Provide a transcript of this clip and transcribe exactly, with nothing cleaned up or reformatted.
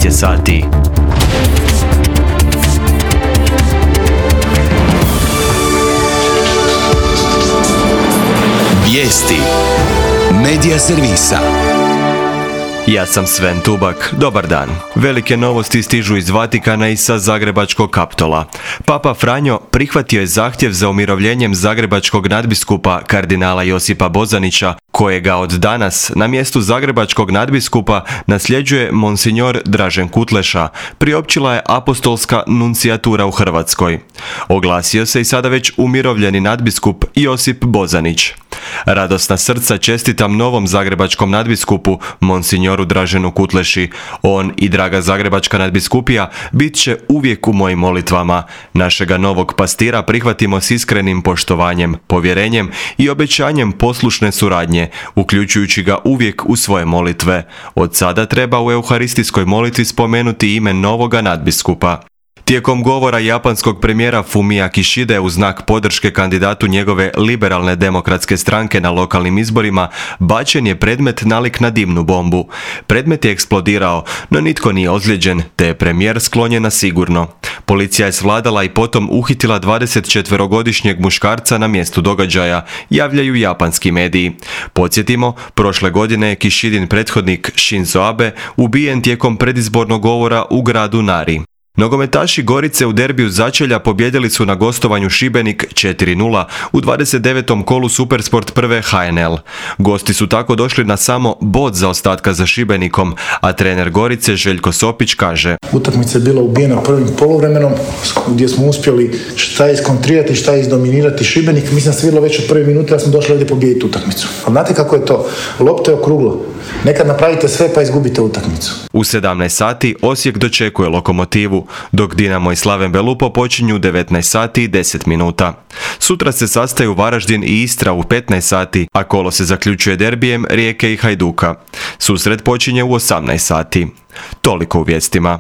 šest je sati. Vijesti Medija servisa. Ja sam Sven Tubak, dobar dan. Velike novosti stižu iz Vatikana i sa Zagrebačkog Kaptola. Papa Franjo prihvatio je zahtjev za umirovljenjem zagrebačkog nadbiskupa kardinala Josipa Bozanića, kojega od danas na mjestu zagrebačkog nadbiskupa nasljeđuje monsignor Dražen Kutleša, priopćila je apostolska nuncijatura u Hrvatskoj. Oglasio se i sada već umirovljeni nadbiskup Josip Bozanić. Radosna srca čestitam novom zagrebačkom nadbiskupu, monsignoru Draženu Kutleši. On i draga zagrebačka nadbiskupija bit će uvijek u mojim molitvama. Našega novog pastira prihvatimo s iskrenim poštovanjem, povjerenjem i obećanjem poslušne suradnje, uključujući ga uvijek u svoje molitve. Od sada treba u euharistijskoj molitvi spomenuti ime novoga nadbiskupa. Tijekom govora japanskog premijera Fumia Kishide u znak podrške kandidatu njegove liberalne demokratske stranke na lokalnim izborima, bačen je predmet nalik na dimnu bombu. Predmet je eksplodirao, no nitko nije ozlijeđen, te je premijer sklonjen na sigurno. Policija je svladala i potom uhitila dvadesetčetverogodišnjeg muškarca na mjestu događaja, javljaju japanski mediji. Podsjetimo, prošle godine je Kishidin prethodnik Shinzo Abe ubijen tijekom predizbornog govora u gradu Nari. Nogometaši Gorice u derbiju začelja pobjedili su na gostovanju Šibenik četiri nula u dvadeset devetom kolu Supersport prve H N L. Gosti su tako došli na samo bod zaostatka za Šibenikom, a trener Gorice Željko Sopić kaže: Utakmica je bila ubijena prvim poluvremenom gdje smo uspjeli šta iskontrirati, šta izdominirati Šibenik. Mislim da se vidjelo već od prve minute da smo došli ovdje pobijediti utakmicu. A znate kako je to? Lopta je okruglo. Nekad napravite sve pa izgubite utakmicu. U sedamnaest sati Osijek dočekuje Lokomotivu, dok Dinamo i Slaven Belupo počinju u devetnaest sati i deset minuta. Sutra se sastaju Varaždin i Istra u petnaest sati, a kolo se zaključuje derbijem Rijeke i Hajduka. Susret počinje u osamnaest sati. Toliko u vijestima.